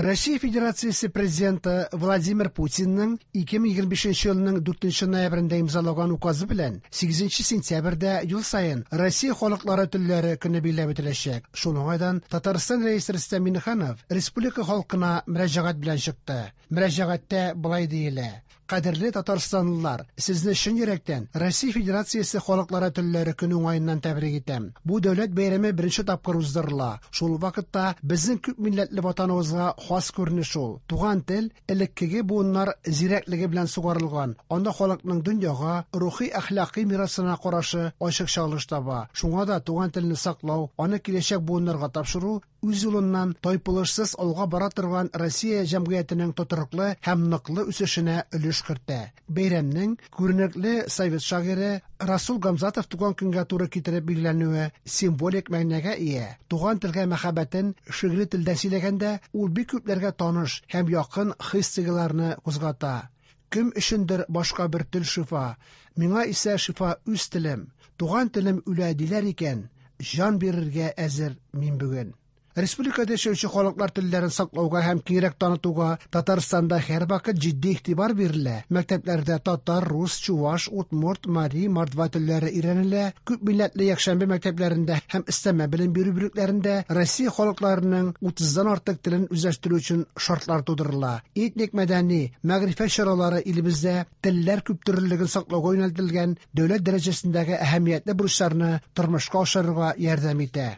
Россия Федерациясе Президенты Владимир Путинның 2025 елның 4 ноябрендә имзалаган указы белән 8 сентябрьдә ел саен Россия халыклары телләре көне билгеләп үтеләчәк. Шул уңайдан Татарстан Рәисе Рөстәм Миңнеханов республика халкына мөрәҗәгать белән чыкты. Мөрәҗәгатьтә болай диелә: Кадерле татарстанлылар, сезне чын йөрәктән Россия Федерациясе халыклары телләре көне уңаеннан тәбрик итәм. Бу дәүләт бәйрәме беренче тапкыр уздырыла. Шул вакытта безнең күп милләтле ватаныбызга хас күренеш ул. Туган тел элеккеге буыннар зирәклеге белән сугарылган. Анда халыкның дөньяга, рухи әхлакый мирасына карашы ачык чагылыш таба. Шуңа да туган телне саклау, аны киләчәк буыннарга тапшыру үз юлыннан тайпылышсыз алга бара торган Россия җәмгыятенең тотрыклы һәм ныклы үсешенә өлеш кертә. Бәйрәмнең күренекле совет шагыйре Расул Гамзатов туган көнгә туры китереп билгеләнүе символик мәгънәгә ия. Туган телгә мәхәббәтен шигъри телдә сөйләгәндә, ул бик күпләргә таныш һәм якын хис-тойгыларны кузгата. Кем өчендер башка бер тел шифа, миңа исә шифа үз телем. Туган телем үлә диләр икән, җан бирергә әзер мин бүген. Республикада яшәүче халыклар телләрен саклауга һәм киңрәк танытуга Татарстанда һәрвакыт җитди игътибар бирелә. Мәктәпләрдә татар, рус, чуваш, удмурт, мари, мордва телләре өйрәнелә. Күп милләтле якшәмбе мәктәпләрендә һәм өстәмә белем бирү бүлекләрендә Россия халыкларының 30-дан артык телен үзләштерү өчен шартлар тудырыла. Этник мәдәни, мәгърифәт чаралары илебездә телләр күптөрлелеген саклауга юнәлтелгән дәүләт дәрәҗәсендәге әһәмиятле бурычларны тормышка ашырырга ярдәм итә.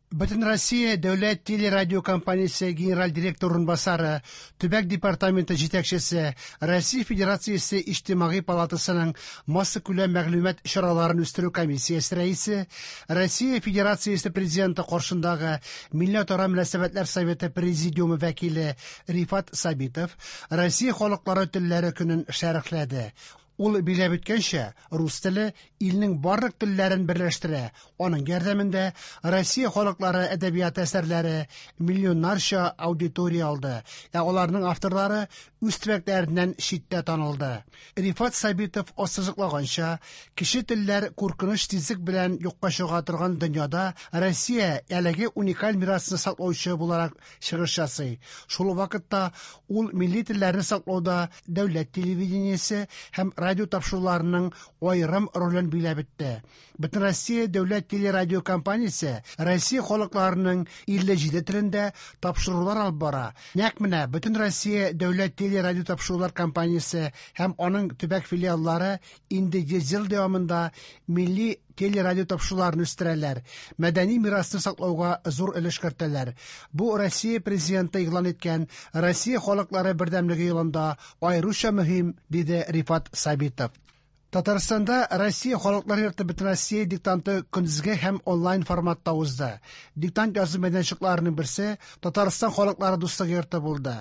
Бөтенроссия дәүләт телерадиокомпаниясе генераль директор урынбасары, төбәк департаменты җитәкчесе, Россия Федерациясе Иҗтимагый палатасының массакүләм мәгълүмат чараларын үстерү комиссиясе рәисе, Россия Федерациясе Президенты каршындагы Милләтара мөнәсәбәтләр советы президиумы вәкиле Рифат Сабитов Россия халыклары телләре көнен шәрехләде. Ул билгеләп үткәнчә, рус теле илнең барлык телләрен берләштерә. Аның ярдәмендә Россия халыклары әдәбияты әсәрләре миллионнарча аудитория алды, ә аларның авторлары үз төбәкләреннән читтә танылды. Рифат Сабитов ассызыклаганча, кече телләр куркыныч тизлек белән юкка чыга торган дөньяда Россия әлеге уникаль мирасны саклаучы буларак чыгыш ясый. Шул ук вакытта ул милли телләрне саклауда дәүләт телевидениесе һәм радио тапшыруларының аерым ролен биләп үтте. Бөтенроссия дәүләт телерадиокомпаниясе Россия халыкларының 57 телендә тапшырулар алып бара. Нәкъ менә Бөтенроссия дәүләт телерадиотапшырулар компаниясе һәм аның төбәк филиаллары инде 100 ел дәвамында милли телерадиотапшыруларны үстерәләр, мәдәни мирасны саклауга зур өлеш кертәләр. Бу Россия Президенты игълан иткән Россия халыклары бердәмлеге елында аеруча мөһим, диде Рифат Сабитов. Татарстанда Россия халыклар йорты Бөтенроссия диктанты көндезге һәм онлайн форматта узды. Диктант язу мәйданчыкларының берсе Татарстан халыклары дуслыгы йорты булды.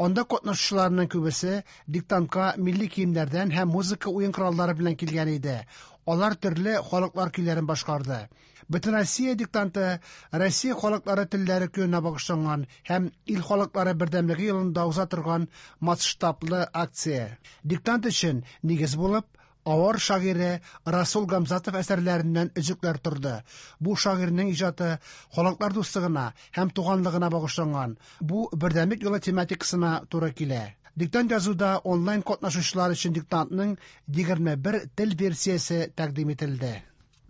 Анда катнашучыларның күбесе диктантка милли киемнәрдән һәм музыка уен кораллары белән килгән иде. Алар төрле халыклар көйләрен башкарды. Бөтенроссия диктанты Россия халыклары телләре көненә багышланган һәм ил халыклары бердәмлеге елында уза торган масштаблы акция. Диктант өчен нигез булып авар шагыйре Расул Гамзатов әсәрләреннән өзекләр торды. Бу шагыйрьнең иҗаты халыклар дуслыгына һәм туганлыгына багышланган. Бу бердәмлек юлы тематикасына туры килә. Диктант язуда онлайн катнашучылар өчен диктантның 21 тел версиясе тәкъдим ителде.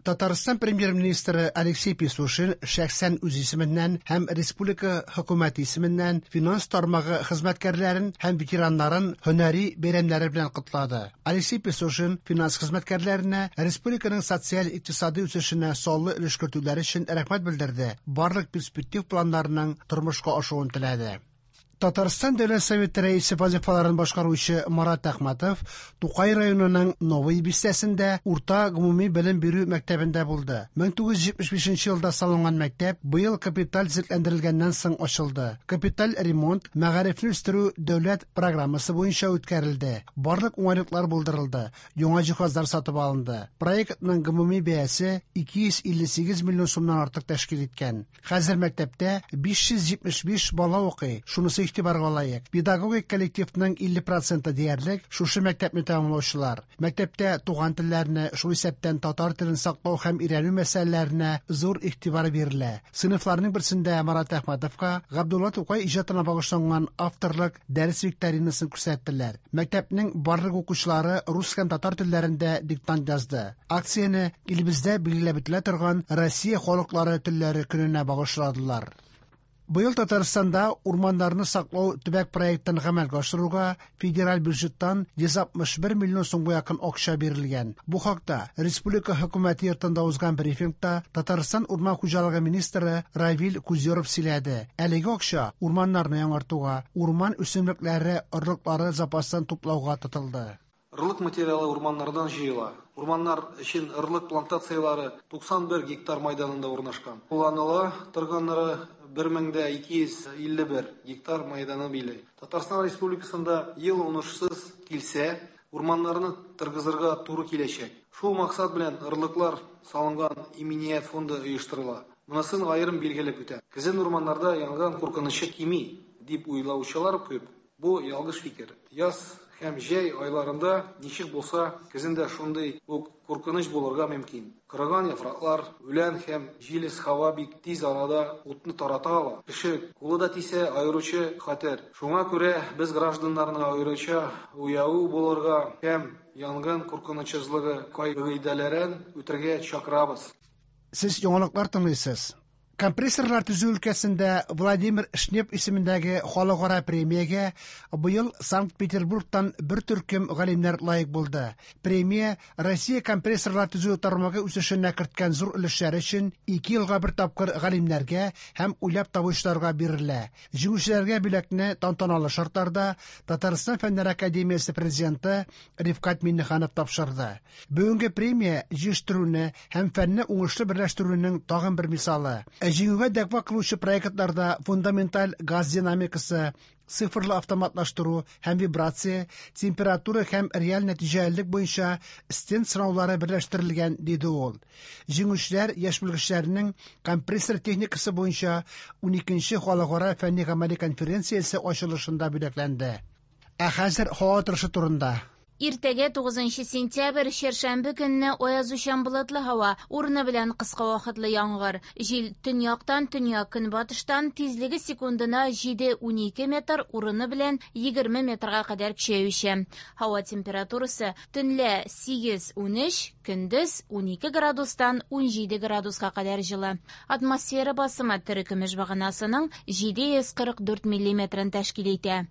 Татарстан премьер-министры Алексей Песошин шәхсән үз исеменнән һәм республика хөкүмәте исеменнән финанс тармагы хезмәткәрләрен һәм ветераннарын һөнәри бәйрәмнәре белән котлады. Алексей Песошин финанс хезмәткәрләренә республиканың социаль-икътисади үсешенә саллы өлеш кертүләре өчен рәхмәт белдерде, барлык перспектив планнарының тормышка ашуын теләде. Татарстан Дәүләт Советы рәисе вазифаларын башкаручы Марат Әхмәтов Тукай районының Новый бистәсендә урта гомуми белем бирү мәктәбендә булды. 1975 елда салынган мәктәп быел капиталь төзекләндерелгәннән соң ачылды. Капиталь ремонт мәгарифне үстерү дәүләт программасы буенча үткәрелде. Барлык уңайлыклар булдырылды, яңа җиһазлар сатып алынды. Проектның гомуми бәясе 258 миллион сумнан артык тәшкил иткән. Хәзер мәктәптә 575 бала укый. Шунысы игътибарга лаек: педагогик коллективның 50 проценты диярлек шушы мәктәпне тәмамлаучылар. Мәктәптә туган телләрне, шул исәптән татар телен саклау һәм өйрәнү мәсьәләләренә зур игътибар бирелә. Сыйныфларның берсендә Марат Әхмәтовка Габдулла Тукай иҗатына багышланган авторлык дәрес викторинасын күрсәттеләр. Мәктәпнең барлык укучылары рус һәм татар телләрендә диктант язды. Акцияне илебездә билгеләп үтелә торган Россия халыклары телләре көненә багышладылар. Быел Татарстанда урманнарны саклау төбәк проектын гамәлгә ашыруга федераль бюджеттан 161 миллион сумга якын акча бирелгән. Бу хакта республика хөкүмәте йортында узган брифингта Татарстан урман хуҗалыгы министры Равил Кузеров сөйләде. Әлеге акча урманнарны яңартуга, урман үсемлекләре орлыклары запасын туплауга тотылды. Орлык материалы урманнардан җыела. Урманнар өчен орлык плантацияләре 91 гектар мәйданында урнашкан. Кулланыла торганнары 1251 гектар мәйданы били. Татарстан Республикасында ел уңышсыз килсә, урманнарны торгызырга туры киләчәк. Шул максат белән орлыклар салынган иминият фонды оештырыла. Монысын аерым билгеләп үтәм. Көзен урманнарда янгын куркынычы кими дип уйлаучылар күп. Бу ялгыш фикер. Яз һәм җәй айларында ничек булса, көзен дә шундый ук куркыныч булырга мөмкин. Корыган яфраклар, үлән һәм җилес һава бик тиз арада утны тарата ала. Кеше кулы да тисә, аеруча хәтәр. Шуңа күрә без гражданнарны аеруча уяу булырга һәм янгын куркынычсызлыгы кагыйдәләрен үтәргә чакырабыз. Сез яңалыклар тыңлыйсыз. Компрессорлар төзү өлкәсендә Владимир Шнеп исемендәге халыкара премиягә быел Санкт-Петербургтан бер төркем галимнәр лаек булды. Премия Россия компрессорлар төзү тармагы үсешенә керткән зур өлешләре өчен 2 елга бер тапкыр галимнәргә һәм уйлап табучыларга бирелә. Җиңүчеләргә бүләкне тантаналы шартларда Татарстан Фәннәр академиясе президенты Рифкать Миңнеханов тапшырды. Бүгенге премия җыештыруны һәм фәнне уңышлы берләштерүнең тагын бер мисалы. Җиңүгә дәгъва кылучы проектларда фундаменталь газ динамикасы, цифрлы автоматлаштыру һәм вибрация, температура һәм реаль нәтиҗәлелек буенча стенд сынаулары берләштерелгән, диде ул. Җиңүчеләр яшь белгечләрнең компрессор техникасы буенча 12нче халыкара фәнни-гамәли конференциясе ачылышында бүләкләнде. Ә хәзер һава торышы турында. Иртәгә 9 сентябрь, чәршәмбе көнне аязучан болытлы һава, урыны белән кыска вакытлы яңгыр. Җил төньяктан, төньяк-көнбатыштан, тизлеге секундына 7-12 метр, урыны белән 20 метрга кадәр көчәюче. Һава температурасы төнлә 8-13, көндез 12 градустан 17 градуска кадәр җылы. Атмосфера басымы терекөмеш баганасының 744 миллиметрын тәшкил итә.